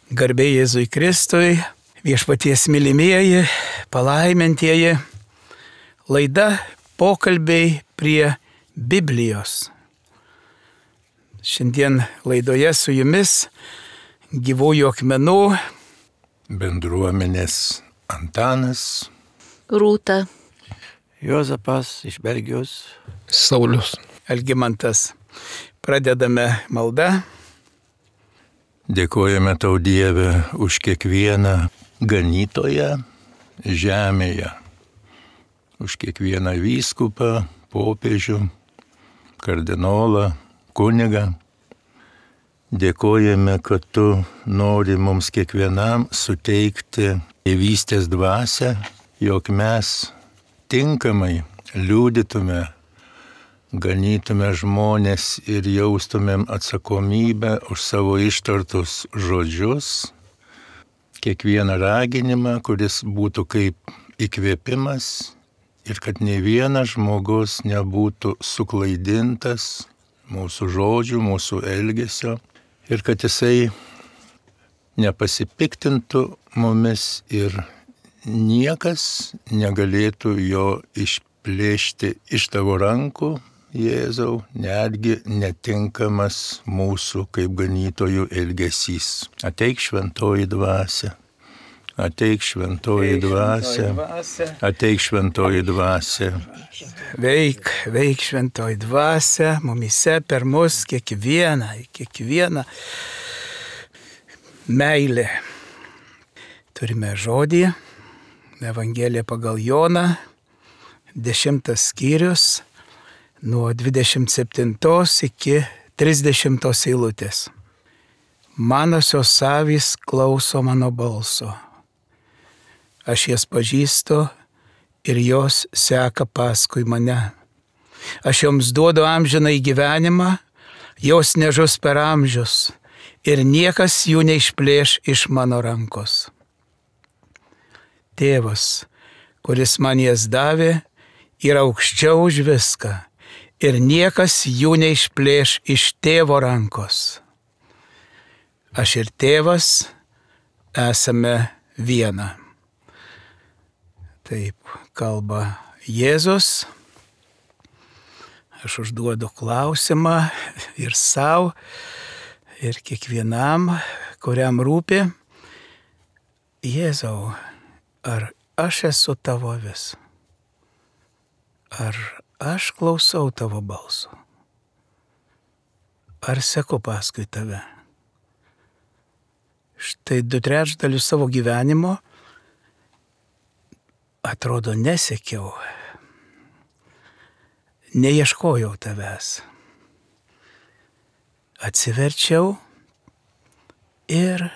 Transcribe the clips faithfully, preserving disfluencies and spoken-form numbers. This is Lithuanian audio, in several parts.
Garbė Jėzui Kristui, viešpaties mylimieji, palaimintieji, laida pokalbiai prie Biblijos. Šiandien laidoje su jumis Gyvųjų akmenų bendruomenės Antanas, Rūta, Juozapas iš Belgijos, Saulius, Algimantas. Pradedame maldą. dėkojame tau Dieve už kiekvieną ganytoją žemėje, už kiekvieną vyskupą, popiežių, kardinolą, kunigą. Dėkojame, kad tu nori mums kiekvienam suteikti tėvystės dvasią, jog mes tinkamai liudytume, ganytume žmonės ir jaustumėm atsakomybę už savo ištartus žodžius, kiekvieną raginimą, kuris būtų kaip įkvėpimas ir kad nei vienas žmogus nebūtų suklaidintas mūsų žodžių, mūsų elgesio ir kad jisai nepasipiktintų mumis ir niekas negalėtų jo išplėšti iš tavo rankų, Jėzau, netgi netinkamas mūsų kaip ganytojų elgesys. Ateik šventoji dvasia, ateik šventoji dvasia, ateik šventoji dvasia. Veik, veik šventoji dvasia, mumise per mus kiekvieną, kiekvieną meilė. Turime žodį, Evangelija pagal Joną, dešimtas skyrius, nuo dvidešimt septintos iki trisdešimtos eilutės. Manosios avys klauso mano balso. Aš jas pažįstu ir jos seka paskui mane. Aš joms duodu amžiną į gyvenimą, jos nežus per amžius ir niekas jų neišplėš iš mano rankos. Tėvas, kuris man jas davė, yra aukščiau už viską. Ir niekas jų neišplėš iš tėvo rankos. Aš ir tėvas esame viena. Taip kalba Jėzus. Aš užduodu klausimą ir sau, ir kiekvienam, kuriam rūpi. Jėzau, ar aš esu tavo avis? Ar aš klausau tavo balso? Ar seku paskui tave? Štai du trečdalius savo gyvenimo atrodo nesekiau, neieškojau tavęs. Atsiverčiau ir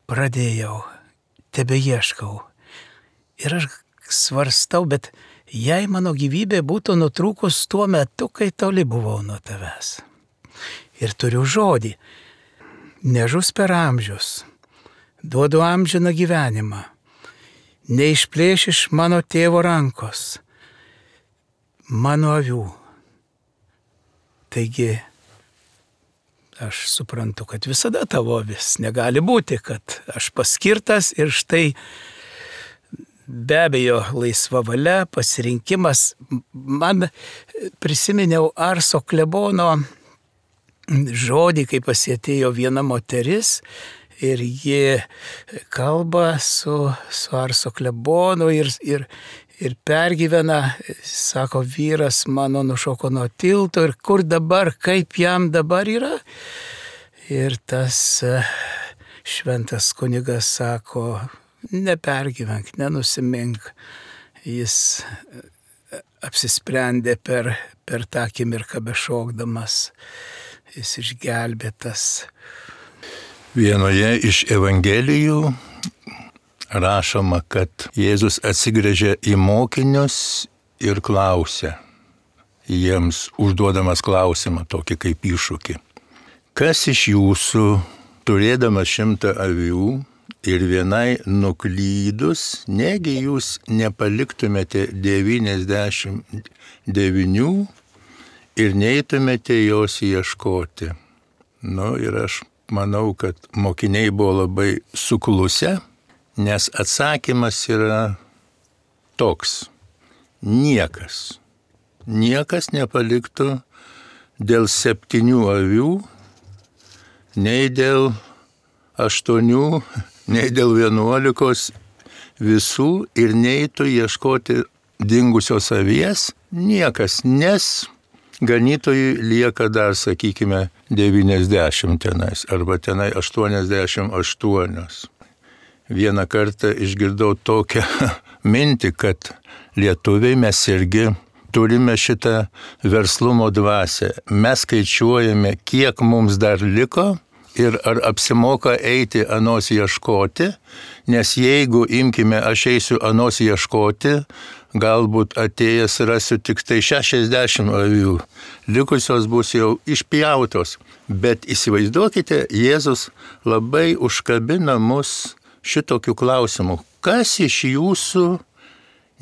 pradėjau, tebeieškau. Ir aš svarstau, bet jei mano gyvybė būtų nutrūkus tuo metu, kai toli buvau nuo tavęs. Ir turiu žodį, nežus per amžius, duodu amžiną gyvenimą, neišplėš iš mano tėvo rankos, mano avių. Taigi, aš suprantu, kad visada tavo avis, negali būti, kad aš paskirtas ir štai be abejo, laisva valia, pasirinkimas. Man prisiminiau Arso klebono žodį, kai pas jį atėjo viena moteris ir ji kalba su, su Arso klebonu ir, ir, ir pergyvena, sako, vyras mano nušoko nuo tilto ir kur dabar, kaip jam dabar yra. Ir tas šventas kunigas sako, nepergyvenk, nenusimink. Jis apsisprendė per, per tą akimirką bešokdamas. Jis išgelbėtas. Vienoje iš Evangelijų rašoma, kad Jėzus atsigręžė į mokinius ir klausė, jiems užduodamas klausimą tokį kaip iššūkį. Kas iš jūsų, turėdamas šimtą avių, ir vienai nuklydus, negi jūs nepaliktumėte devyniasdešimt devynių ir neitumėte jos ieškoti. Nu ir aš manau, kad mokiniai buvo labai suklusę, nes atsakymas yra toks. Niekas, niekas nepaliktų dėl septynių avių, nei dėl aštuonių, nei dėl vienuolikos visų ir neitų ieškoti dingusios avies, niekas, nes ganytojui lieka dar, sakykime, devyniasdešimt tenais, arba tenai aštuoniasdešimt aštuonios. Vieną kartą išgirdau tokią mintį, kad lietuviai mes irgi turime šitą verslumo dvasią. Mes skaičiuojame, kiek mums dar liko ir ar apsimoka eiti anos ieškoti, nes jeigu imkime, aš eisiu anos ieškoti, galbūt atėjęs rasiu tik tai šešiasdešimt avių, likusios bus jau išpjautos. Bet įsivaizduokite, Jėzus labai užkabina mus šitokių klausimų. Kas iš jūsų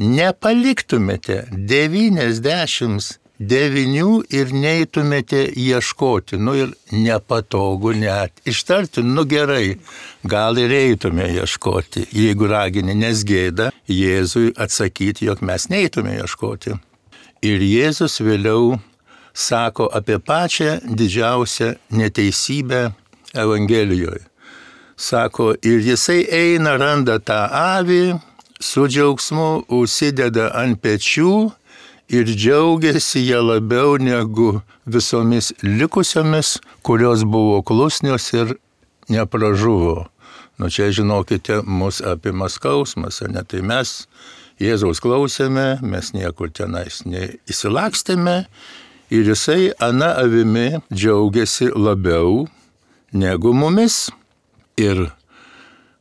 nepaliktumėte devyniasdešimt devynių ir neitumėte ieškoti? Nu ir nepatogu net ištarti, nu gerai, gal ir eitume ieškoti, jeigu ragini, nes gėda Jėzui atsakyti, jog mes neitume ieškoti. Ir Jėzus vėliau sako apie pačią didžiausią neteisybę Evangelijoje. Sako, ir jisai eina, randa tą avį, su džiaugsmu užsideda ant pečių ir džiaugiasi ją labiau negu visomis likusiomis, kurios buvo klusnios ir nepražuvo. Nu čia, žinokite, mus apima skausmas, ne? Tai mes Jėzaus klausėme, mes niekur tenais neįsilakstėme ir jisai ana avimi džiaugiasi labiau negu mumis. Ir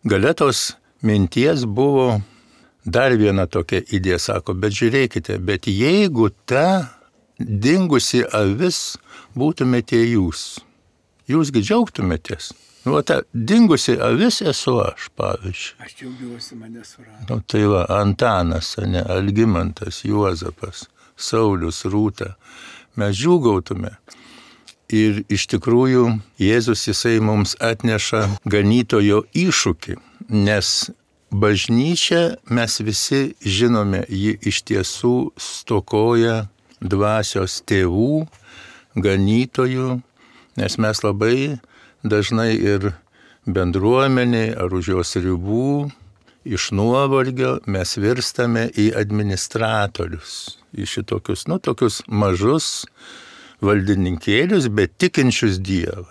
galetos minties buvo dar viena tokia idėja, sako, bet žiūrėkite, bet jeigu ta dingusi avis būtumėte jūs, jūsgi džiaugtumėtės. Nu, ta dingusi avis esu aš, pavyzdžiui. Aš džiaugiuosi, mane surado. Nu, tai va, Antanas, ne, Algimantas, Juozapas, Saulius, Rūta. Mes džiūgautume. Ir iš tikrųjų Jėzus jisai mums atneša ganytojo iššūkį, nes bažnyčia, mes visi žinome, ji iš tiesų stokoja dvasios tėvų, ganytojų, nes mes labai dažnai ir bendruomeniai ar už jos ribų iš nuovargio mes virstame į administratorius, į šitokius, nu, tokius mažus valdininkėlius, bet tikinčius Dievą,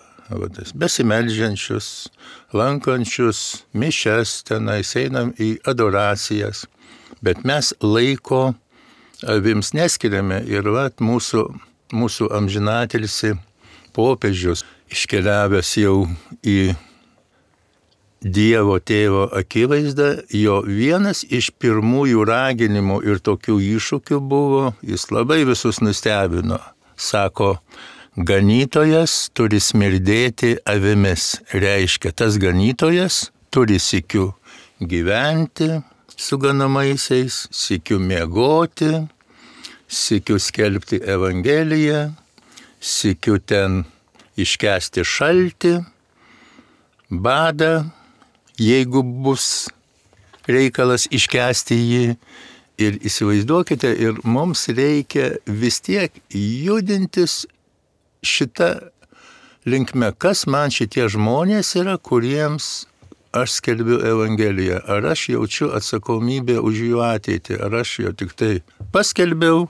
besimeldžiančius, lankančius mišias tenais, einam į adoracijas, bet mes laiko avims neskiriame ir vat mūsų, mūsų amžinatilsi popiežius iškeliavęs jau į Dievo tėvo akivaizdą, jo vienas iš pirmųjų raginimų ir tokių iššūkių buvo, jis labai visus nustebino. Sako, ganytojas turi smirdėti avimis. Reiškia, tas ganytojas turi sykiu gyventi su ganamaisiais, sykiu miegoti, sykiu skelbti Evangeliją, sykiu ten iškęsti šaltį, badą, jeigu bus reikalas iškęsti jį. Ir įsivaizduokite, ir mums reikia vis tiek judintis šitą linkme, kas man šitie žmonės yra, kuriems aš skelbiu Evangeliją. Ar aš jaučiu atsakomybę už jų ateitį, ar aš jau tik tai paskelbiau,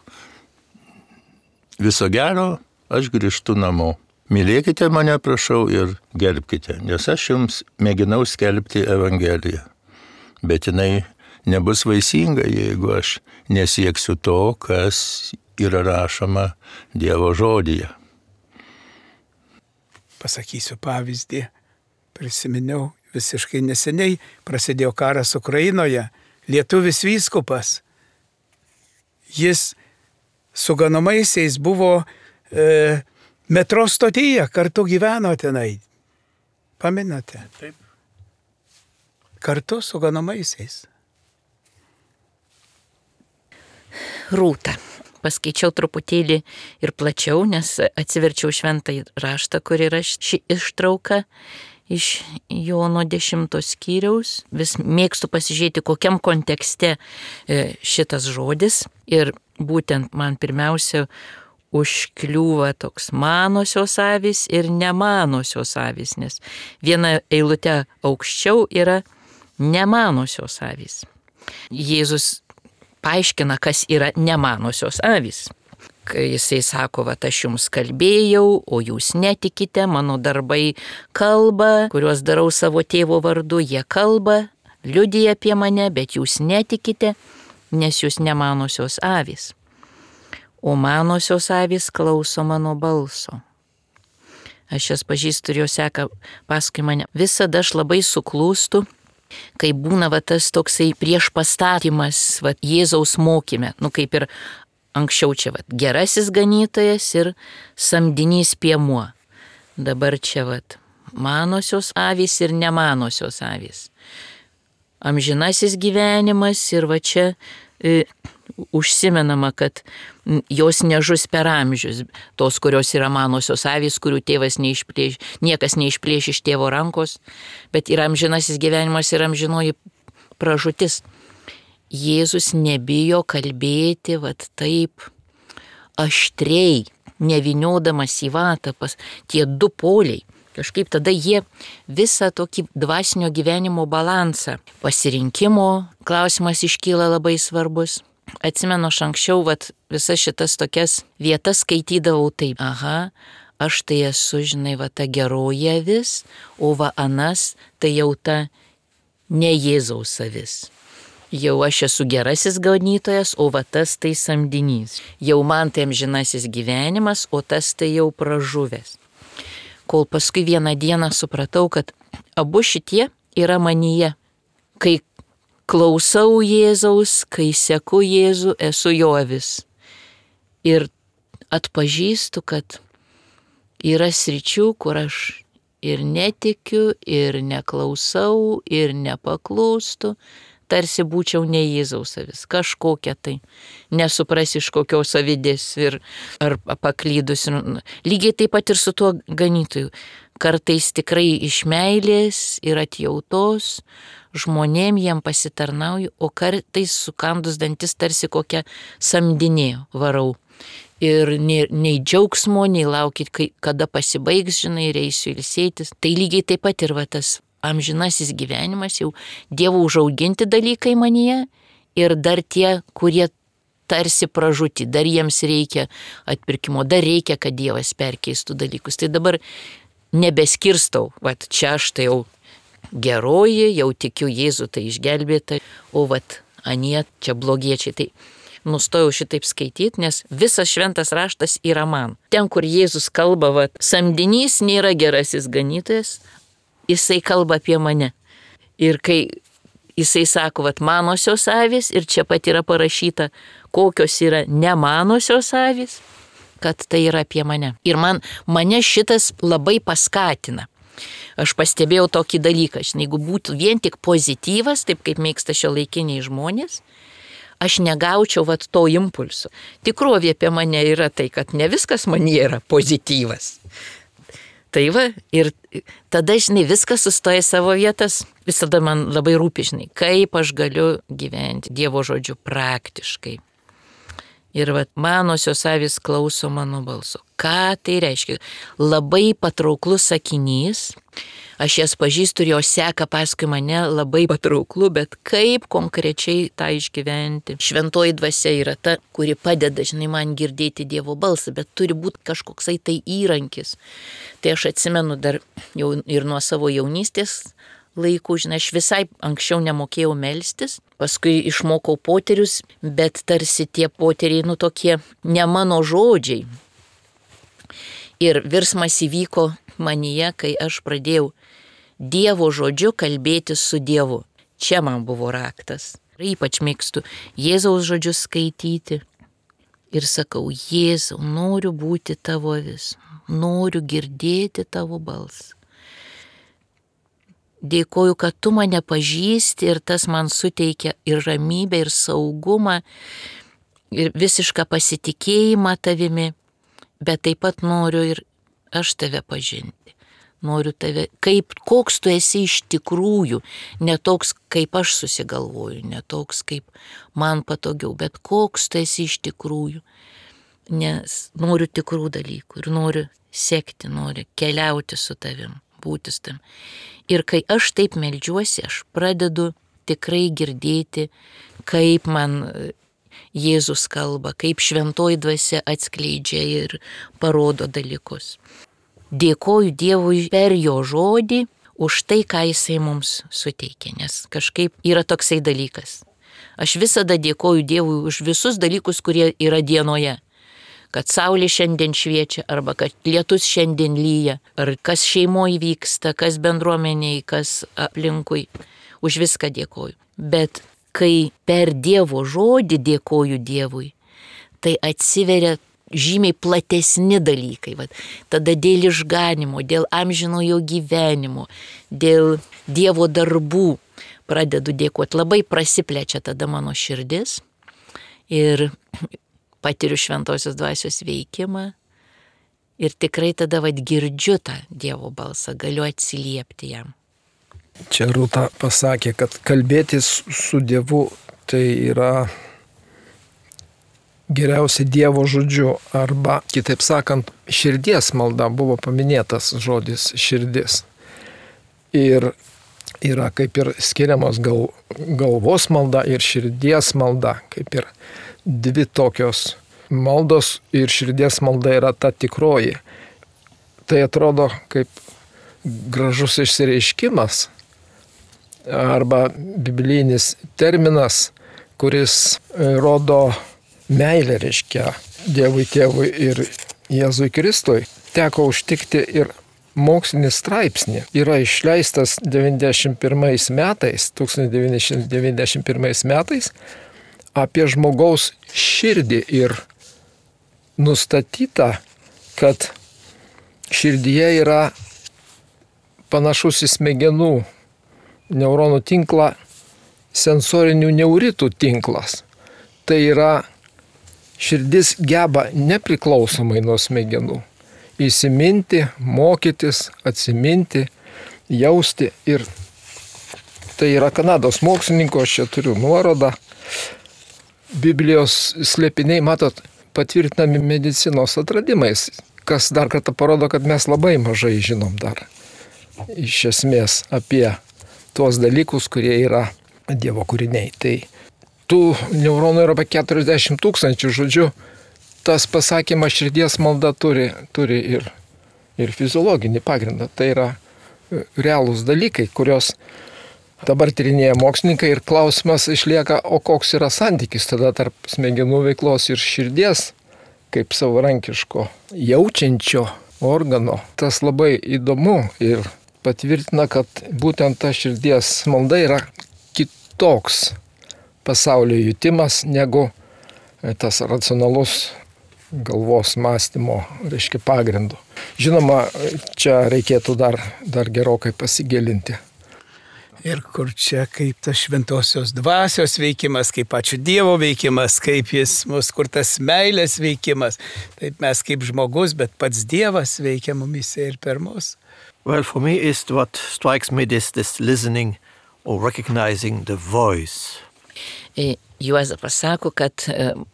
viso gero, aš grįžtu namo. Mylėkite mane, prašau, ir gerbkite, nes aš jums mėginau skelbti Evangeliją. Bet jinai nebus vaisinga, jeigu aš nesieksiu to, kas yra rašoma Dievo žodyje. Pasakysiu pavyzdį. Prisiminiau visiškai neseniai, prasidėjo karas Ukrainoje, lietuvis vyskupas. Jis su ganamaisiais buvo e, metro stotyje, kartu gyveno tenai. Pamenate? Taip. Kartu su ganamaisiais. Rūta, paskaičiau truputėlį ir plačiau, nes atsiverčiau šventąjį raštą, kur yra ši ištrauka iš Jono dešimtos skyriaus. Vis mėgstu pasižiūrėti, kokiam kontekste šitas žodis. Ir būtent man pirmiausia užkliūva toks manosios avys ir nemanosios avys, nes viena eilute aukščiau yra nemanosios avys. Jėzus paaiškina, kas yra nemanosios avys. Kai jisai sako, va, aš jums kalbėjau, o jūs netikite, mano darbai kalba, kuriuos darau savo tėvo vardu, jie kalba, liudija apie mane, bet jūs netikite, nes jūs nemanosios avys. O manosios avys klauso mano balso. Aš jas pažįstu ir jos seka paskui mane. Visada aš labai suklūstu, kai būna va, tas toksai prieš pastatymas va, Jėzaus mokyme, nu kaip ir anksčiau čia va, gerasis ganytojas ir samdinys piemuo. Dabar čia va, manosios avys ir nemanosios avys. Amžinasis gyvenimas ir va čia e, užsimenama, kad jos nežus per amžius, tos, kurios yra manosios avys, kurių tėvas neišplėš, niekas neišplėš iš tėvo rankos, bet yra amžinasis gyvenimas ir amžinoji pražūtis. Jėzus nebijo kalbėti vat taip aštriai, nevyniodamas į vatą, pas tie du poliai. Kažkaip tada jie visą tokį dvasinio gyvenimo balansą. Pasirinkimo klausimas iškyla labai svarbus. Atsimenu, aš anksčiau vat, visas šitas tokias vietas skaitydavau taip. Aha, aš tai esu, žinai, va ta geroji avis, o va anas tai jau ta ne Jėzaus avis. Jau aš esu gerasis ganytojas, o va tas tai samdinys. Jau man tai amžinasis gyvenimas, o tas tai jau pražuvęs. Kol paskui vieną dieną supratau, kad abu šitie yra manyje. Kai klausau Jėzaus, kai seku Jėzų, esu jo avis. Ir atpažįstu, kad yra sričių, kur aš ir netikiu, ir neklausau, ir nepaklūstu. Tarsi būčiau ne Jėzaus avis, kažkokia tai, nesupras iš kokios avidės ir ar paklydus. Lygiai taip pat ir su tuo ganytoju. Kartais tikrai iš meilės ir atjautos žmonėm jiem pasitarnauju, o kartais sukandus dantis tarsi kokią samdinė varau. Ir nei, nei džiaugsmo, nei laukit, kai, kada pasibaigs, žinai, ir eisiu ilsėtis. Tai lygiai taip pat ir va tas amžinasis gyvenimas, jau Dievo užauginti dalykai manyje ir dar tie, kurie tarsi pražūti, dar jiems reikia atpirkimo, dar reikia, kad Dievas perkeistų dalykus. Tai dabar nebeskirstau, vat čia aš tai jau geroji, jau tikiu Jėzų, tai išgelbėta, o vat anie čia blogiečiai. Tai nustojau šitaip skaityti, nes visas šventas raštas yra man. Ten, kur Jėzus kalba, vat samdinys nėra gerasis ganytojas, jisai kalba apie mane. Ir kai jisai sako, vat manosios avys, ir čia pat yra parašyta, kokios yra nemanosios avys, kad tai yra apie mane. Ir man, mane šitas labai paskatina. Aš pastebėjau tokį dalyką, žinai, jeigu būtų vien tik pozityvas, taip kaip mėgsta šiuolaikiniai žmonės, aš negaučiau vat to impulso. Tikrovė apie mane yra tai, kad ne viskas man yra pozityvas. Tai va, ir tada, žinai, viskas sustoja savo vietas. Visada man labai rūpi, žinai, kaip aš galiu gyventi Dievo žodžiu praktiškai. Ir va, manosios avys klauso mano balso. Ką tai reiškia? Labai patrauklus sakinys. Aš jas pažįstu ir jos seka paskui mane, labai patrauklu, bet kaip konkrečiai tą išgyventi? Šventoji dvasia yra ta, kuri padeda, žinai, man girdėti Dievo balsą, bet turi būti kažkoksai tai įrankis. Tai aš atsimenu dar jau ir nuo savo jaunystės laikų, žinai, aš visai anksčiau nemokėjau melstis, paskui išmokau poterius, bet tarsi tie poteriai, nu tokie ne mano žodžiai. Ir virsmas įvyko manyje, kai aš pradėjau Dievo žodžiu kalbėti su Dievu. Čia man buvo raktas. Ypač mėgstu Jėzaus žodžius skaityti. Ir sakau, Jėzau, noriu būti tavo avis, noriu girdėti tavo balsą. Dėkoju, kad tu mane pažįsti ir tas man suteikia ir ramybę, ir saugumą. ir visišką pasitikėjimą tavimi, bet taip pat noriu ir aš tave pažinti. Noriu tave, kaip, koks tu esi iš tikrųjų, ne toks, kaip aš susigalvoju, ne toks, kaip man patogiau, bet koks tu esi iš tikrųjų. Nes noriu tikrų dalykų ir noriu sekti, noriu keliauti su tavim, būti su tavim. Ir kai aš taip meldžiuosi, aš pradedu tikrai girdėti, kaip man Jėzus kalba, kaip šventoji dvasia atskleidžia ir parodo dalykus. Dėkoju Dievui per jo žodį už tai, ką jisai mums suteikė, nes kažkaip yra toksai dalykas. Aš visada dėkoju Dievui už visus dalykus, kurie yra dienoje. Kad saulė šiandien šviečia, arba kad lietus šiandien lyja, ar kas šeimoje vyksta, kas bendruomeniai, kas aplinkui. Už viską dėkoju. Bet kai per Dievo žodį dėkoju Dievui, tai atsiveria žymiai platesni dalykai. Vat, tada dėl išganimo, dėl amžinojo gyvenimo, dėl Dievo darbų pradedu dėkoti. Labai prasiplečia tada mano širdis ir patiriu šventosios dvasios veikimą ir tikrai tada vat, girdžiu tą Dievo balsą, galiu atsiliepti jam. Čia Rūta pasakė, kad kalbėtis su Dievu tai yra geriausia Dievo žodžiu, arba, kitaip sakant, širdies malda, buvo paminėtas žodis širdis. Ir yra kaip ir skiriamos gal, galvos malda ir širdies malda, kaip ir dvi tokios maldos ir širdies malda yra ta tikroji. Tai atrodo kaip gražus išsireiškimas arba biblinis terminas, kuris rodo meilė, reiškia Dievui Tėvui ir Jėzui Kristui. Teko užtikti ir mokslinį straipsnį. Yra išleistas devyniasdešimt pirmais metais, tūkstantis devyni šimtai devyniasdešimt pirmais metais apie žmogaus širdį ir nustatyta, kad širdyje yra panašus į smegenų neuronų tinklą sensorinių neuritų tinklas. Tai yra širdis geba nepriklausomai nuo smegenų įsiminti, mokytis, atsiminti, jausti. Ir tai yra Kanados mokslininko, aš čia turiu nuorodą. Biblijos slėpiniai, matot, patvirtinami medicinos atradimais, kas dar kartą parodo, kad mes labai mažai žinom dar iš esmės apie tuos dalykus, kurie yra Dievo kūriniai. Tai tų neuronų yra apie keturiasdešimt tūkstančių, žodžiu, tas pasakymas širdies malda turi, turi ir, ir fiziologinį pagrindą. Tai yra realūs dalykai, kurios dabar tyrinėja mokslininkai ir klausimas išlieka, o koks yra santykis tada tarp smegenų veiklos ir širdies, kaip savarankiško jaučiančio organo. Tas labai įdomu ir patvirtina, kad būtent ta širdies malda yra kitoks pasaulio jutimas negu tas racionalus galvos mąstymo, reiškia, pagrindu. Žinoma, čia reikėtų dar, dar gerokai pasigilinti. Ir kur čia kaip tas šventosios dvasios veikimas, kaip pačio Dievo veikimas, kaip jis mus, kur tas meilės veikimas. Taip mes kaip žmogus, bet pats Dievas veikia mumise ir per mus. Well, for me is what strikes me this, this listening or recognizing the voice. Juozapas sako, kad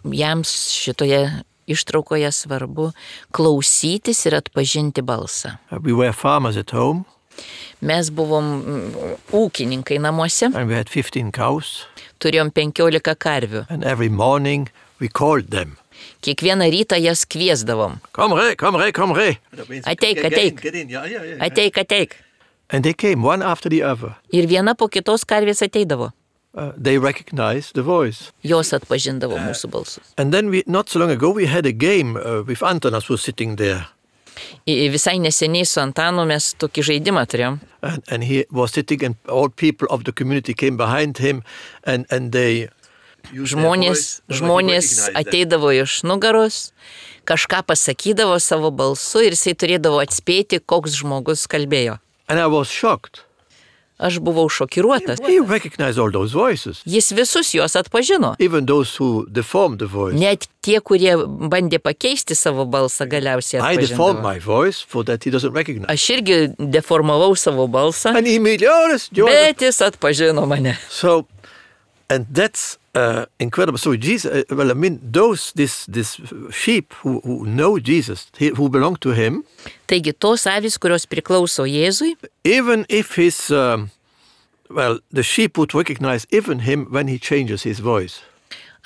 jam šitoje ištraukoje svarbu klausytis ir atpažinti balsą. We were farmers at home. Mes buvom ūkininkai namuose. And we had fifteen cows. Turėjom penkiolika karvių. And every morning we called them. Kiekvieną rytą jas kviesdavom. Come re, come re, come re. Ateik, ateik. Ateik, ateik. And they came one after the other. Ir viena po kitos karvės ateidavo. Uh, they recognized the voice. Jos atpažindavo mūsų balsus. And then we, not so long ago, we had a game uh, with Antanas who was sitting there. Visai neseniai su Antanu mes tokį žaidimą turėjom. And, and he was sitting and all people of the community came behind him and, and they... Žmonės, žmonės ateidavo iš nugaros, kažką pasakydavo savo balsu ir jisai turėdavo atspėti, koks žmogus kalbėjo. And I was shocked. Aš buvau šokiruotas. He recognized all those voices, Jis visus juos atpažino. even those who deformed the voice. Net tie, kurie bandė pakeisti savo balsą, galiausiai I deformed atpažino. my voice for that he doesn't recognize. Aš irgi deformavau savo balsą, And he immediately, oh, that's Jordan. bet jis atpažino mane. So, and that's uh, incredible. So Jesus, uh, well, I mean, those, this, this sheep who, who know Jesus, he, who belong to him, Taigi tos avys, kurios priklauso Jėzui, even if his, um, well, the sheep would recognize even him when he changes his voice.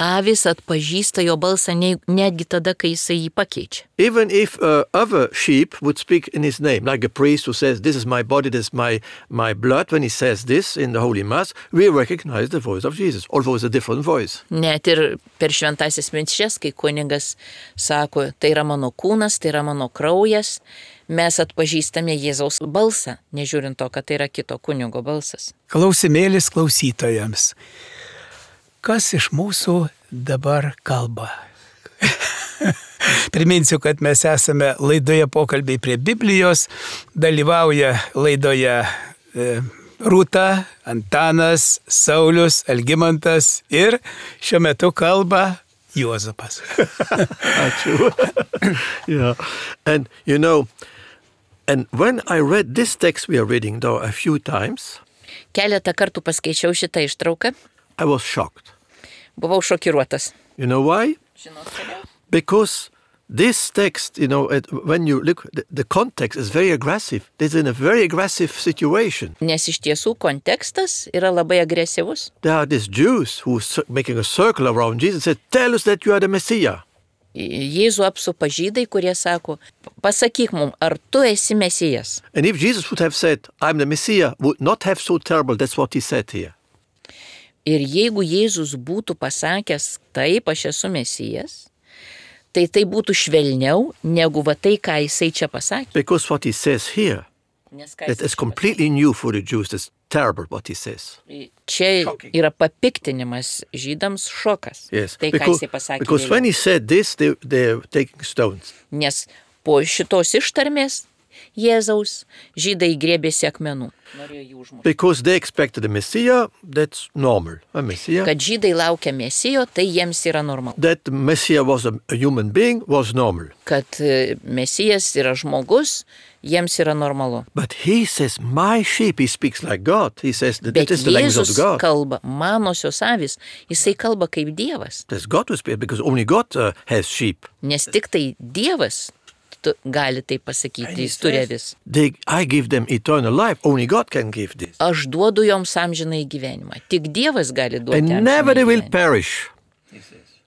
avys atpažįsta jo balsą ne- netgi tada, kai jisai jį pakeičia. Even if uh, other sheep would speak in his name, like a priest who says, this is my body, this is my, my blood, when he says this in the Holy Mass, we recognize the voice of Jesus, although it's a different voice. Net ir per šventasis minčias, kai kunigas sako, tai yra mano kūnas, tai yra mano kraujas, mes atpažįstame Jėzaus balsą, nežiūrint to, kad tai yra kito kunigo balsas. Klausimėlis klausytojams. Kas iš mūsų dabar kalba? Priminsiu, kad mes esame laidoje pokalbiai prie Biblijos, dalyvauja laidoje e, Rūta, Antanas, Saulius, Algimantas ir šiuo metu kalba Juozapas. Yeah. And, you know, and when I read this text we are reading, though, a few times, Keletą kartų paskaičiau šitą ištrauką, I was shocked. buvau šokiruotas. You know why? Žinot, kodėl? Because this text, you know, it, when you look, the, the context is very aggressive. It's in a very aggressive situation. Nes iš tiesų kontekstas yra labai agresyvus. There are these Jews who are making a circle around Jesus and said, tell us that you are the Messiah. Jėzų apsupa žydai, kurie sako, pasakyk mums, ar tu esi mesijas. And if Jesus would have said, I'm the Messiah, would not have so terrible. That's what he said here. Ir jeigu Jėzus būtų pasakęs, taip, aš esu mesijas, tai tai būtų švelniau negu va tai, ką jisai čia pasakė. Because what he says here, Nes ką that jisai is čia completely new for the Jews. That's terrible what he says. pasakė? Čia yra papiktinimas žydams, šokas. Yes. Tai, ką Because, jisai pasakė. because vėliau. when he said this, they, they're taking stones. Nes po šitos ištarmės Jėzaus žydai grėbėsi akmenų. Norėjo jį užmušti. Because they expected a Messiah, that's normal. A Messiah. Kad žydai laukia mesijo, tai jiems yra normalu. That the Messiah was a, a human being was normal. Kad e, mesijas yra žmogus, jiems yra normalu. But he says, my sheep, he speaks like God. He says that Bet this is the language of Jėzus God. kalba, manosios avis, jisai kalba kaip Dievas. That's God who speaks, because only God uh, has sheep. Nes tik tai Dievas tu, gali tai pasakyti, jis turi avis. They, I give them eternal life. Only God can give this. Aš duodu joms amžinai gyvenimą. Tik Dievas gali duoti And amžinai never they will gyvenimą. perish.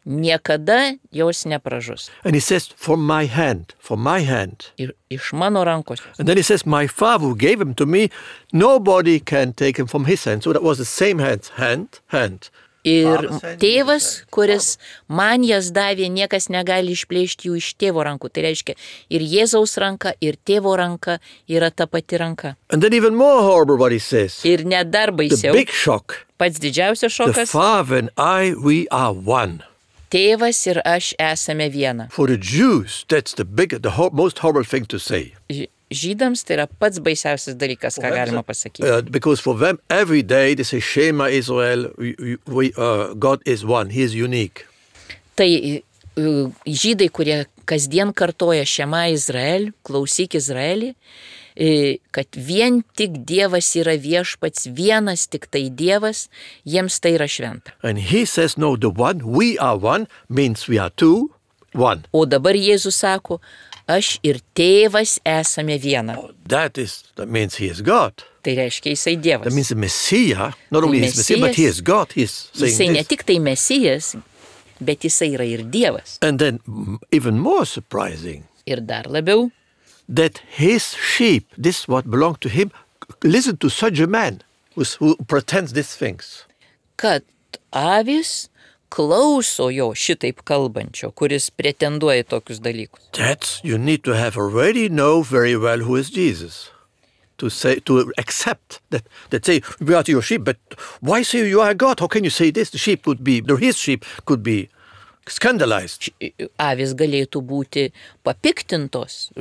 Niekada jos nepražus. And he says, from my hand, from my hand. Ir iš mano rankos. And then he says, my Father who gave him to me, nobody can take him from his hand. So that was the same hand, hand, hand. Ir tėvas, kuris man jas davė, niekas negali išplėšti jų iš tėvo rankų. Tai reiškia, ir Jėzaus ranka, ir tėvo ranka yra ta pati ranka. And then even more horrible what he says. Ir net dar The baisiau, big shock. pats didžiausias The šokas, Father and I, we are one. tėvas ir aš esame viena. For the Jews, that's the big, the ho- most horrible thing to say. Ž- Žydams tai yra pats baisiausias dalykas, ką galima pasakyti. Uh, because for them, every day they say, Shema Israel, we, we- we, uh, God is one, He is unique. Tai uh, žydai, kurie kasdien kartoja Šema Izrael, klausyk Izraelį, e, kad vien tik Dievas yra viešpats, vienas tik tai Dievas, jiems tai yra šventa. And He says, no, the one, we are one, means we are two, one. O dabar Jėzus sako, aš ir tėvas esame viena. That is, that means He is God. Tai reiškia, jisai Dievas. That means the Messiah, not only He is Messiah, but He is God. He is Jisai saying ne this. tik tai mesijas, bet jisai yra ir Dievas. And then, mm, even more surprising, Ir dar labiau, that His sheep, this what belong to Him, listen to such a man who's, who pretends these things. kad avis klauso jo šitaip kalbančio, kuris pretenduoja į tokius dalykus. That's, you need to have already know very well who is Jesus. To say, to accept that, that say, we are your sheep, but why say you are God? How can you say this? The sheep could be, the his sheep could be scandalized. Avis galėtų būti papiktintos,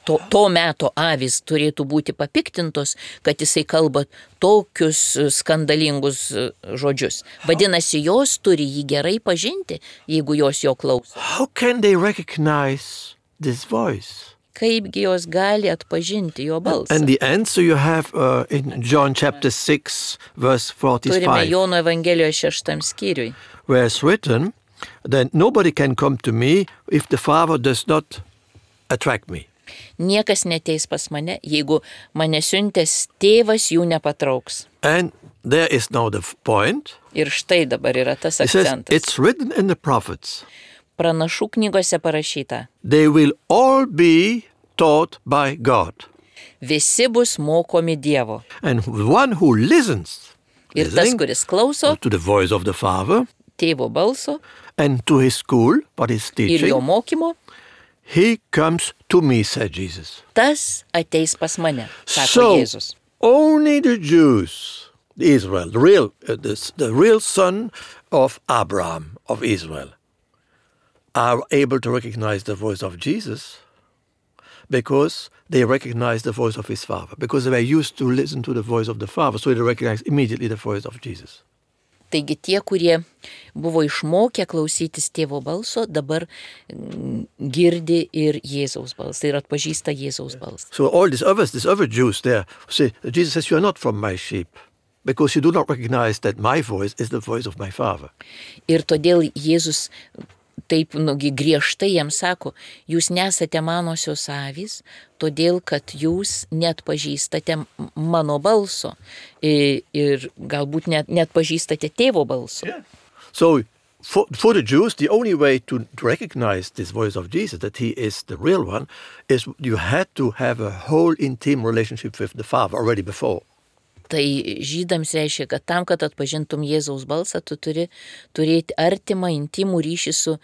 to, to meto avis turėtų būti papiktintos, kad jisai kalba tokius skandalingus žodžius. Vadinasi, jos turi jį gerai pažinti, jeigu jos jo klauso. How can they recognize this voice? Kaipgi jos gali atpažinti jo balsą? And the answer you have uh, in John chapter six, verse Turime forty-five, Jono Evangelijos šeštam skyriui. where it's written that nobody can come to me if the Father does not attract me. Niekas neteis pas mane, jeigu mane siuntęs tėvas jų nepatrauks. And there is now the f- point. Ir štai dabar yra tas It says, akcentas. it's written in the prophets. Pranašų knygose parašyta. They will all be taught by God. Visi bus mokomi Dievo. And one who listens Ir tas, listening kuris klauso to the voice of the Father tėvo balso and to his school, what he's ir jo teaching, mokymo, he comes to me, said Jesus. tas ateis pas mane, sako So, Jėzus. only the Jews, Israel, the real, uh, the, the real son of Abraham, of Israel, are able to recognize the voice of Jesus because they recognize the voice of his Father, because they were used to listen to the voice of the Father, so they recognize immediately the voice of Jesus. Taigi tie, kurie buvo išmokę klausytis tėvo balso, dabar mm, girdi ir Jėzaus balsą ir atpažįsta Jėzaus balsą. So all these others, these other Jews there, say, Jesus says, you are not from my sheep, because you do not recognize that my voice is the voice of my Father. Ir todėl Jėzus taip nugi griežtai jiems sako, jūs nesate manosios avys, todėl kad jūs net pažįstate mano balso ir, ir galbūt net, net pažįstate tėvo balso. Yeah. So for, for the Jews, the only way to, to recognize this voice of Jesus, that he is the real one, is you had to have a whole intimate relationship with the Father already before. Tai žydams reiškia, kad tam, kad atpažintum Jėzaus balsą, tu turi turėti artimą, intimų ryšį su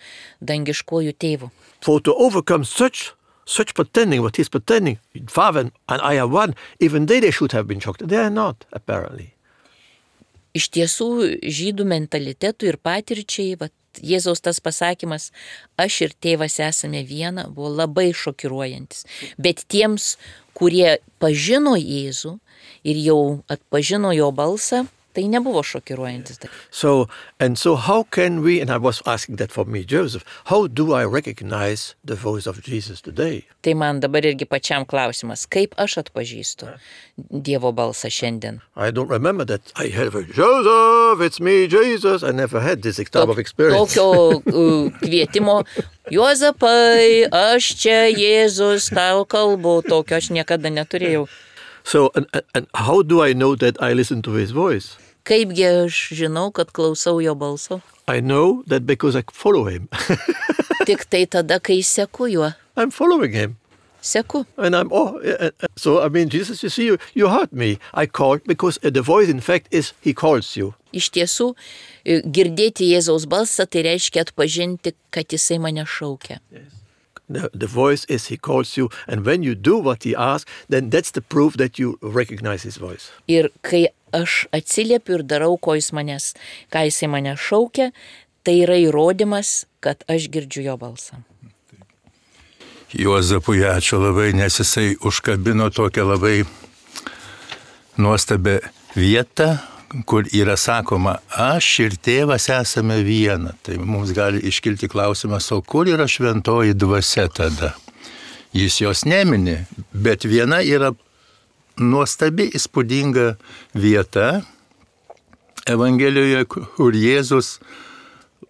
dangiškuoju tėvu. For to overcome such such pretending, what he's pretending, Father and I are one, even they, they should have been shocked. They are not, apparently. Iš tiesų, žydų mentalitetų ir patirčiai, vat, Jėzaus tas pasakymas, aš ir tėvas esame viena, buvo labai šokiruojantis. Bet tiems, kurie pažino Jėzų ir jau atpažino jo balsą, tai nebuvo šokiruojantis. So, and so how can we, and I was asking that for me, Joseph, how do I recognize the voice of Jesus today? Tai man dabar irgi pačiam klausimas, kaip aš atpažįstu Dievo balsą šiandien. I don't remember that I had a Joseph, it's me, Jesus. I never had this type of experience. Tokio uh, kvietimo, Juozapai, aš čia Jėzus, tau kalbu, tokio aš niekada neturėjau. So, and, and how do I know that I listen to his voice? Kaipgi aš žinau, kad klausau jo balso? I know that because I follow him. Tik tai tada, kai seku juo. I'm following him. Seku. And I'm, oh, uh, uh, so I mean, Jesus, you see, you, you heard me. I called because uh, the voice, in fact, is he calls you. Iš tiesų, girdėti Jėzaus balsą, tai reiškia atpažinti, kad jisai mane šaukia. Yes. The, the voice is he calls you, and when you do what he asks, then that's the proof that you recognize his voice. Ir kai aš atsiliepiu ir darau, ko jis manęs, ką jisai mane šaukia, tai yra įrodymas, kad aš girdžiu jo balsą. Juozapui ačiū labai, nes jisai užkabino tokią labai nuostabią vietą, kur yra sakoma, aš ir tėvas esame viena. Tai mums gali iškilti klausimas, o kur yra šventoji dvasia tada? Jis jos nemini, bet viena yra nuostabi, įspūdinga vieta Evangelijoje, kur Jėzus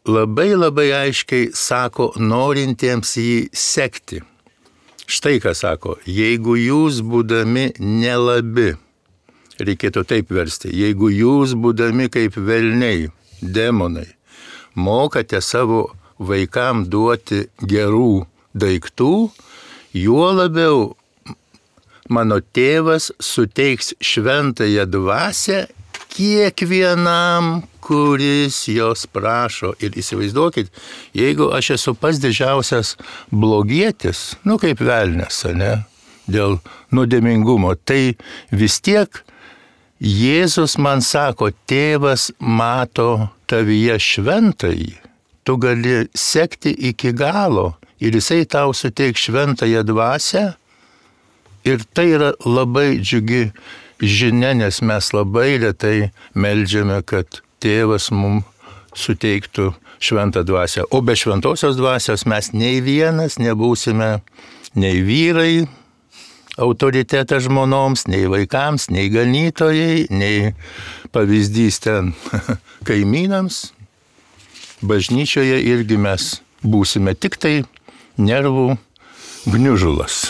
labai labai aiškiai sako norintiems jį sekti. Štai ką sako, jeigu jūs būdami nelabi, reikėtų taip versti, jeigu jūs būdami kaip velniai, demonai, mokate savo vaikam duoti gerų daiktų, juo labiau mano tėvas suteiks šventąją dvasią kiekvienam, kuris jos prašo. Ir įsivaizduokit, jeigu aš esu pats didžiausias blogietis, nu kaip velnias, ne, dėl nuodėmingumo, tai vis tiek Jėzus man sako, tėvas mato tavyje šventąjį. tu gali sekti iki galo ir jisai tau suteiks šventąją dvasią. Ir tai yra labai džiugi žinia, nes mes labai retai meldžiame, kad tėvas mums suteiktų šventą dvasią. O be šventosios dvasios mes nei vienas nebūsime nei vyrai, autoritetas žmonoms, nei vaikams, nei ganytojai, nei pavyzdys ten kaimynams. Bažnyčioje irgi mes būsime tik tai nervų gniužulas.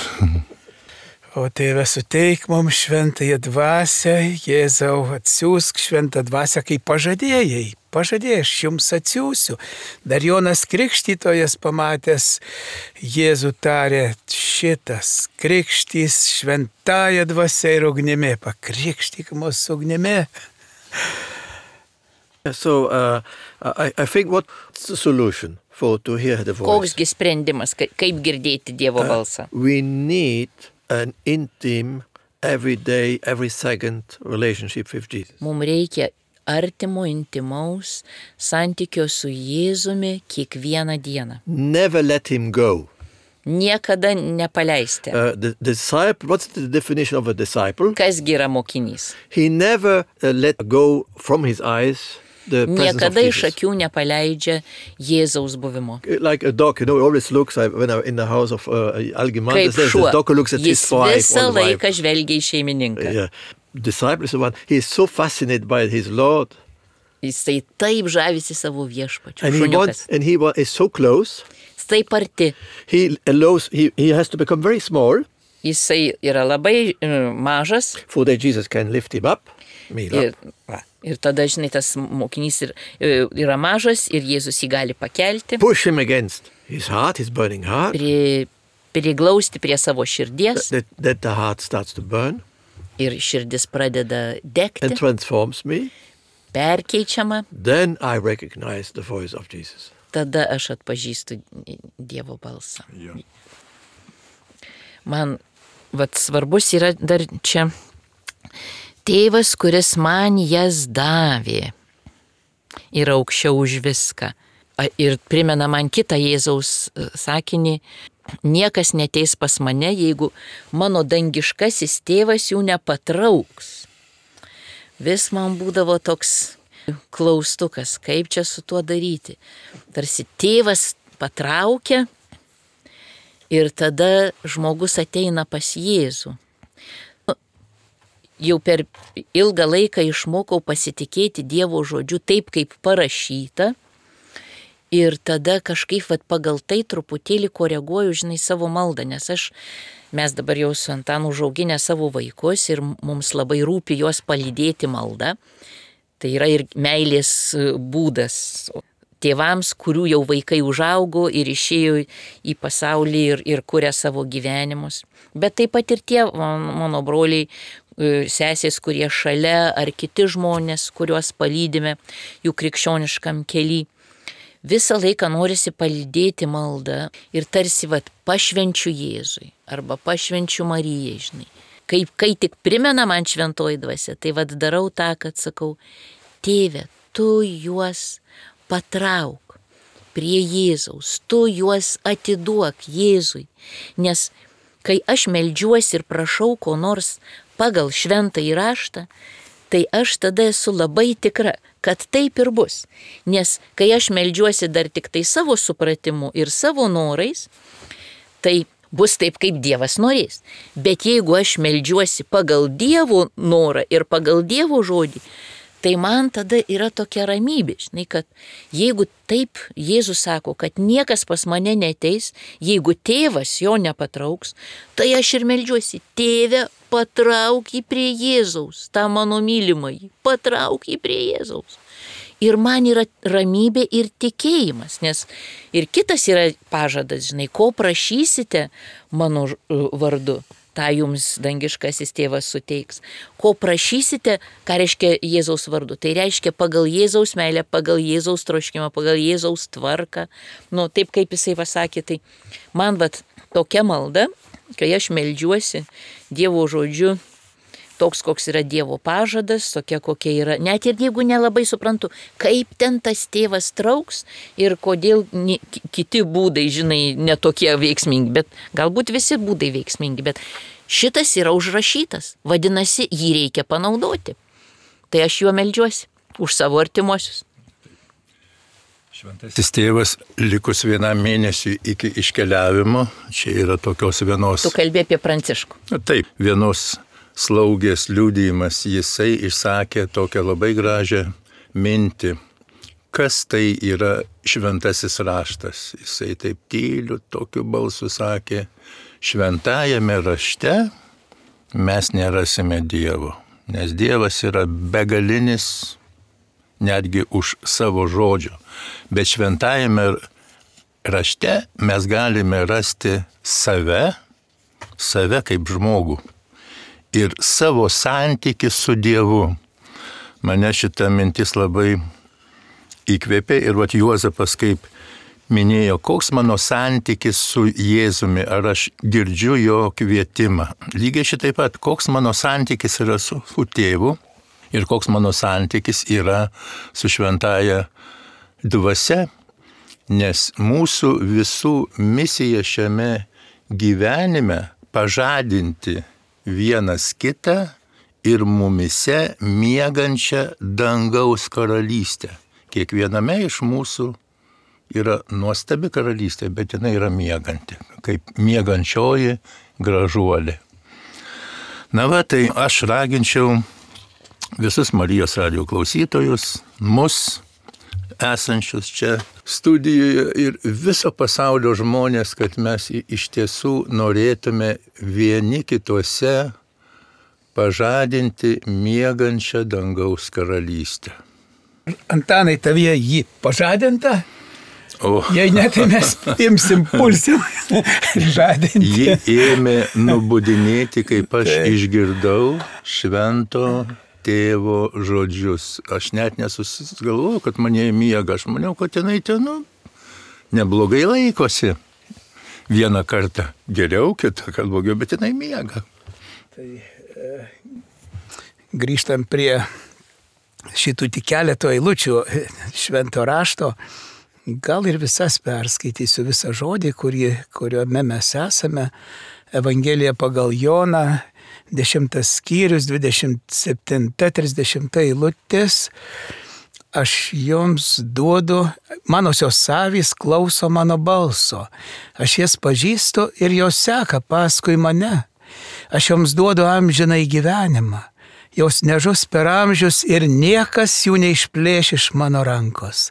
O Tėve, suteik mums šventąją dvasią, Jėzau, atsiųsk šventą dvasią, kaip pažadėjai. Pažadėjai, aš jums atsiųsiu. Dar Jonas Krikštytojas pamatęs Jėzų tarė, šitas krikštys šventąją dvasią ir ugnimi, pakrikštyk mus ugnimi. So uh, I, I think what's the solution for to hear the voice? Koksgi sprendimas, ka- kaip girdėti Dievo balsą? We need an intimate, every day, every second relationship with Jesus. Mums reikia artimo, intimaus santykio su Jėzumi kiekvieną dieną. Never let him go. Niekada nepaleisti. Uh, the, the disciple, what's the definition of a disciple? Kasgi yra mokinys? He never uh, let go from his eyes the presence of Niekada iš Jesus. akių nepaleidžia Jėzaus buvimo. Like a dog, you know, he always looks, I, when I'm in the house of uh, Algimantas, Kaip there's šuo. the dog who looks at his Jis wife visą or the wife. laiką žvelgia į šeimininką. Yeah. Disciple is the one, he is so fascinated by his Lord. Jisai taip žavisi savo viešpačiu. And he Šuniukas. wants, and he wa- is so close, Jis taip arti. he allows, he, he has to become very small, Jisai yra labai uh, mažas. for that Jesus can lift him up. Me Ir, up. va, ir tada, žinai, tas mokinys ir, yra mažas ir Jėzus jį gali pakelti, Push him against his heart, his burning heart, pri, priglausti prie savo širdies that, that the heart starts to burn ir širdis pradeda degti, and transforms me. perkeičiama, Then I recognize the voice of Jesus. tada aš atpažįstu Dievo balsą. Man vat, svarbus yra dar čia tėvas, kuris man jas davė, yra aukščiau už viską. A- Ir primena man kitą Jėzaus e, sakinį, niekas neteis pas mane, jeigu mano dangiškasis tėvas jų nepatrauks. Vis man būdavo toks klaustukas, kaip čia su tuo daryti. Tarsi tėvas patraukia ir tada žmogus ateina pas Jėzų. Jau per ilgą laiką išmokau pasitikėti Dievo žodžiu taip, kaip parašyta. Ir tada kažkaip vat, pagal tai truputėlį koreguoju, žinai, savo maldą, nes aš, mes dabar jau su Antanu užauginę savo vaikus ir mums labai rūpi juos palydėti maldą. Tai yra ir meilės būdas tėvams, kurių jau vaikai užaugo ir išėjo į pasaulį ir, ir kuria savo gyvenimus. Bet taip pat ir tie mano broliai, sesės, kurie šalia, ar kiti žmonės, kuriuos palydime jų krikščioniškam kely. Visą laiką norisi palydėti maldą ir tarsi vat, pašvenčiu Jėzui arba pašvenčiu Marijai, žinai. Kai, kai tik primena man šventoji dvasia, tai vat darau tą, kad sakau, tėve, tu juos patrauk prie Jėzaus, tu juos atiduok Jėzui, nes kai aš meldžiuosi ir prašau ko nors pagal šventąjį raštą, tai aš tada esu labai tikra, kad taip ir bus. Nes kai aš meldžiuosi dar tik tai savo supratimu ir savo norais, tai bus taip, kaip Dievas norės. Bet jeigu aš meldžiuosi pagal Dievo norą ir pagal Dievo žodį, tai man tada yra tokia ramybė, žinai, kad jeigu taip Jėzus sako, kad niekas pas mane neteis, jeigu tėvas jo nepatrauks, tai aš ir meldžiuosi, tėve, patrauk jį prie Jėzaus, tą mano mylimąjį, patrauk jį prie Jėzaus. Ir man yra ramybė ir tikėjimas, nes ir kitas yra pažadas, žinai, ko prašysite mano vardu, tą jums dangiškasis tėvas suteiks. Ko prašysite, ką reiškia Jėzaus vardu? Tai reiškia pagal Jėzaus meilę, pagal Jėzaus troškimą, pagal Jėzaus tvarką. Nu, taip kaip jisai pasakė, tai man vat tokia malda, kai aš meldžiuosi Dievo žodžiu toks, koks yra Dievo pažadas, tokia kokia yra. Net ir jeigu nelabai suprantu, kaip ten tas tėvas trauks ir kodėl ni, kiti būdai, žinai, netokie veiksmingi, bet galbūt visi būdai veiksmingi, bet šitas yra užrašytas, vadinasi, jį reikia panaudoti. Tai aš juo meldžiuosi už savo artimuosius. Šventasis tėvas likus vienam mėnesiui iki iškeliavimo, čia yra tokios vienos... Tu kalbė apie Pranciškų. Taip, vienos slaugės liudijimas, jisai išsakė tokią labai gražią mintį, kas tai yra šventasis raštas. Jisai taip tyliu, tokiu balsu sakė, šventajame rašte mes nerasime Dievo, nes Dievas yra begalinis, netgi už savo žodžio. Bet šventajame rašte mes galime rasti save, save kaip žmogų ir savo santykį su Dievu. Mane šita mintis labai įkvėpė ir vat Juozapas kaip minėjo, koks mano santykis su Jėzumi, ar aš girdžiu jo kvietimą. Lygiai šitaip pat, koks mano santykis yra su, su tėvu ir koks mano santykis yra su šventaja dvasia, nes mūsų visų misija šiame gyvenime pažadinti vienas kitą ir mumise miegančią dangaus karalystę. Kiekviename iš mūsų yra nuostabi karalystė, bet jinai yra mieganti, kaip miegančioji gražuolė. Na va, tai aš raginčiau visus Marijos radijo klausytojus, mus esančius čia studijoje ir viso pasaulio žmonės, kad mes iš tiesų norėtume vieni kituose pažadinti miegančią dangaus karalystę. Antanai, tavyje jį pažadinta? O. Jei ne, tai mes imsim, pulsim žadinti. Ji ėmė nubudinėti, kaip aš tai išgirdau švento tėvo žodžius. Aš net nesusigalvojau, kad mane miega. Aš maniau, kad jinai ten, nu, neblogai laikosi. Vieną kartą geriau, kitą kartą blogiau, bet jinai miega. Tai e, grįžtam prie šitų tik keleto eilučių švento rašto. Gal ir visas perskaitysiu visą žodį, kurį, kuriuome mes esame. Evangelija pagal Joną, dešimtas skyrius, dvidešimt septinta, trisdešimta eilutės. Aš joms duodu, manosios avys klauso mano balso. Aš jas pažįstu ir jos seka paskui mane. Aš joms duodu amžinai gyvenimą. Jos nežus per amžius ir niekas jų neišplėš iš mano rankos.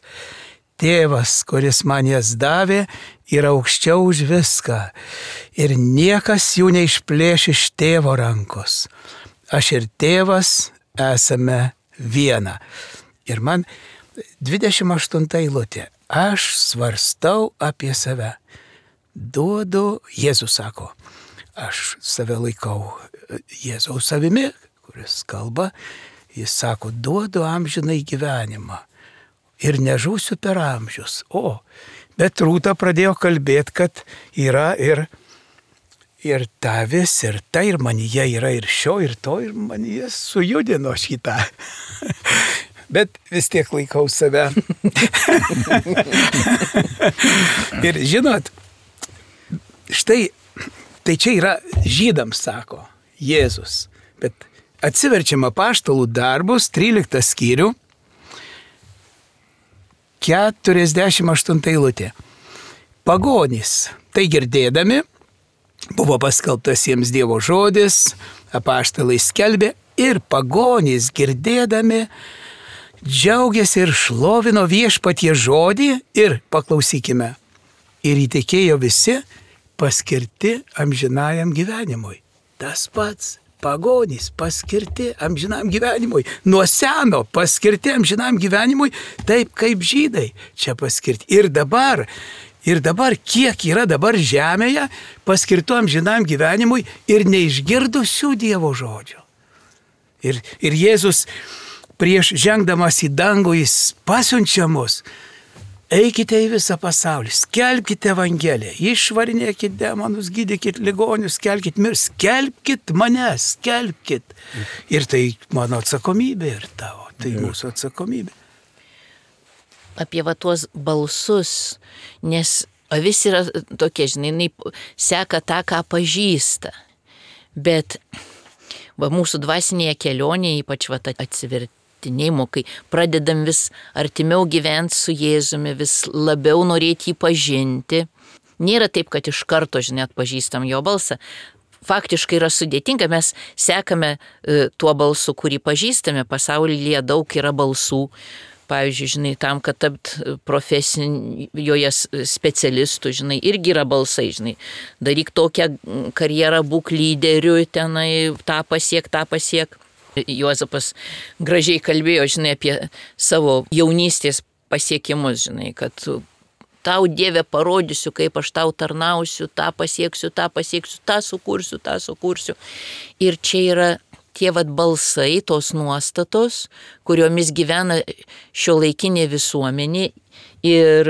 Tėvas, kuris man jas davė, yra aukščiau už viską ir niekas jų neišplėš iš tėvo rankos. Aš ir tėvas esame viena. Ir man dvidešimt aštunta eilutė. Aš svarstau apie save. Duodu, Jėzus sako, aš save laikau Jėzaus savimi, kuris kalba, jis sako, duodu amžinai gyvenimą. Ir nežūsiu per amžius. O, bet Rūta pradėjo kalbėti, kad yra ir, ir tavis, ir tai, ir manyje yra ir šio, ir to, ir manyje sujudino šitą. Bet vis tiek laikau save. Ir žinot, štai, tai čia yra žydams, sako Jėzus. Bet atsiverčiam Apaštalų darbus, tryliktą skyrių, keturiasdešimt aštunta eilutė. Pagonys, tai girdėdami, buvo paskelbtas jiems Dievo žodis, apaštalai skelbė ir pagonys girdėdami, džiaugiasi ir šlovino viešpatie žodį ir, paklausykime, ir įtikėjo visi paskirti amžinajam gyvenimui. Tas pats. Pagonys paskirti amžinam gyvenimui. Nuo seno paskirti amžinam gyvenimui, taip kaip žydai čia paskirti. Ir dabar, ir dabar, kiek yra dabar žemėje paskirtų amžinam gyvenimui ir neišgirdusių Dievo žodžio. Ir, ir Jėzus prieš žengdamas į dangų jis pasiunčia mus. Eikite į visą pasaulį, skelbkite Evangeliją, išvarinėkit demonus, gydykit ligonius, skelbkit mirs, skelbkit mane, skelbkit. Ir tai mano atsakomybė ir tavo, tai mūsų atsakomybė. Apie va tuos balsus, nes avis yra tokia, žinai, jinai seka tą, ką pažįsta. Bet va, mūsų dvasinėje kelionėje, ypač va, atsivertinėjimo, kai pradedam vis artimiau gyventi su Jėzumi, vis labiau norėti jį pažinti. Nėra taip, kad iš karto, žinai, atpažįstam jo balsą. Faktiškai yra sudėtinga, mes sekame e, tuo balsu, kurį pažįstame, pasaulyje daug yra balsų. Pavyzdžiui, žinai, tam, kad tapt profesijoje specialistų, žinai, irgi yra balsai, žinai. Daryk tokią karjerą, būk lyderiu, tenai, tą pasiek, tą pasiek. Juozapas gražiai kalbėjo, žinai, apie savo jaunystės pasiekimus, žinai, kad tau, Dieve, parodysiu, kaip aš tau tarnausiu, tą pasieksiu, tą pasieksiu, tą sukursiu, tą sukursiu. Ir čia yra tie vat balsai, tos nuostatos, kuriomis gyvena šiuolaikinė visuomenė ir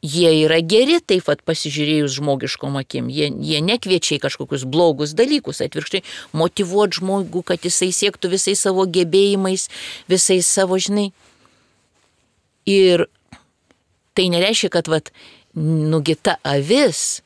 jie yra geri, taip vat pasižiūrėjus žmogiškom akim. Jie, jie nekviečia į kažkokius blogus dalykus, atvirkščiai motyvuot žmogų, kad jisai siektų visais savo gebėjimais, visais savo, žinai. Ir tai nereiškia, kad vat nugita avis,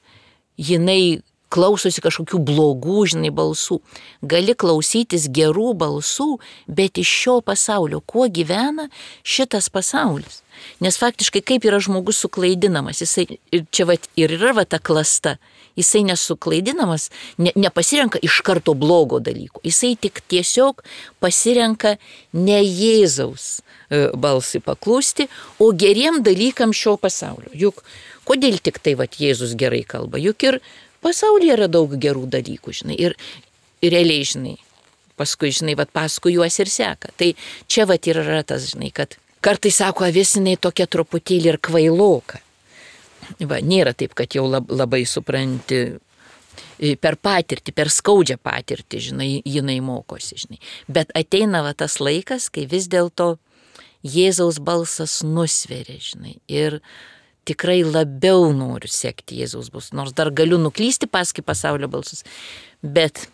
jinai klausosi kažkokių blogų, žinai, balsų. Gali klausytis gerų balsų, bet iš šio pasaulio, kuo gyvena šitas pasaulis. Nes faktiškai kaip yra žmogus suklaidinamas, jisai, čia vat, ir yra vat, ta klasta, jisai nesuklaidinamas, ne, nepasirenka iš karto blogo dalyko, jisai tik tiesiog pasirenka ne Jėzaus balsui paklusti, o geriem dalykam šio pasaulio. Juk kodėl tik tai vat, Jėzus gerai kalba, juk ir pasaulyje yra daug gerų dalykų, žinai, ir, ir realiai, žinai, paskui, žinai, vat, paskui juos ir seka. Tai čia vat ir yra tas, žinai, kad kartais sako, avis jinai tokia truputėlį ir kvailoka. Va, nėra taip, kad jau lab, labai supranti per patirtį, per skaudžią patirtį, žinai, jinai mokosi, žinai. Bet ateina va, tas laikas, kai vis dėlto Jėzaus balsas nusveria, žinai, ir tikrai labiau noriu sekti Jėzaus balsus, nors dar galiu nuklysti paskui pasaulio balsus, bet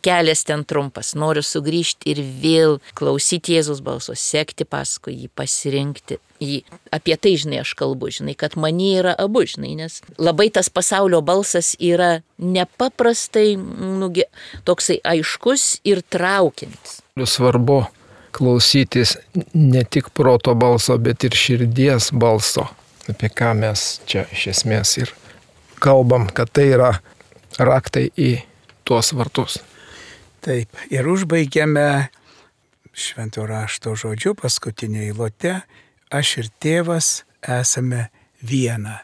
kelias ten trumpas, noriu sugrįžti ir vėl klausyti Jėzaus balso, sekti paskui jį, pasirinkti jį. Apie tai, žinai, aš kalbu, žinai, kad manyje yra abu, žinai, nes labai tas pasaulio balsas yra nepaprastai, nugi, toksai aiškus ir traukiantis. Svarbu klausytis ne tik proto balso, bet ir širdies balso. Apie ką mes čia iš esmės ir kalbam, kad tai yra raktai į tuos vartus. Taip, ir užbaigiame švento rašto žodžiu paskutinėje eilute, aš ir tėvas esame viena.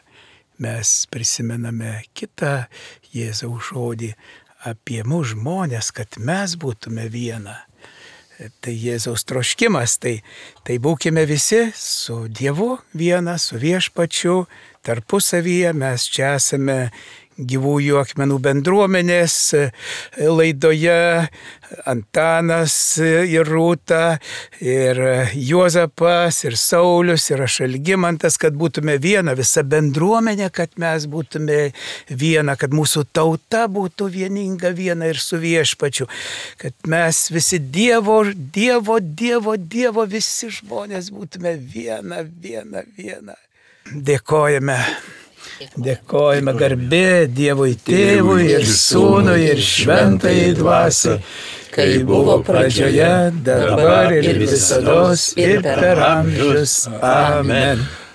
Mes prisimename kitą Jėzaus žodį apie mūsų žmonės, kad mes būtume viena. Tai Jėzaus troškimas, tai, tai būkime visi su Dievu viena, su Viešpačiu, tarpusavyje. Mes čia esame gyvųjų akmenų bendruomenės laidoje, Antanas ir Rūta, ir Juozapas, ir Saulius, ir aš Algimantas, kad būtume viena, visa bendruomenė, kad mes būtume viena, kad mūsų tauta būtų vieninga viena ir su Viešpačiu, kad mes visi Dievo, Dievo, Dievo, Dievo, visi žmonės būtume viena, viena, viena. Dėkojame. Dėkojame garbė Dievui Tėvui ir Sūnui ir Šventajai Dvasiai, kai buvo pradžioje, dabar ir visados ir per amžius. Amen.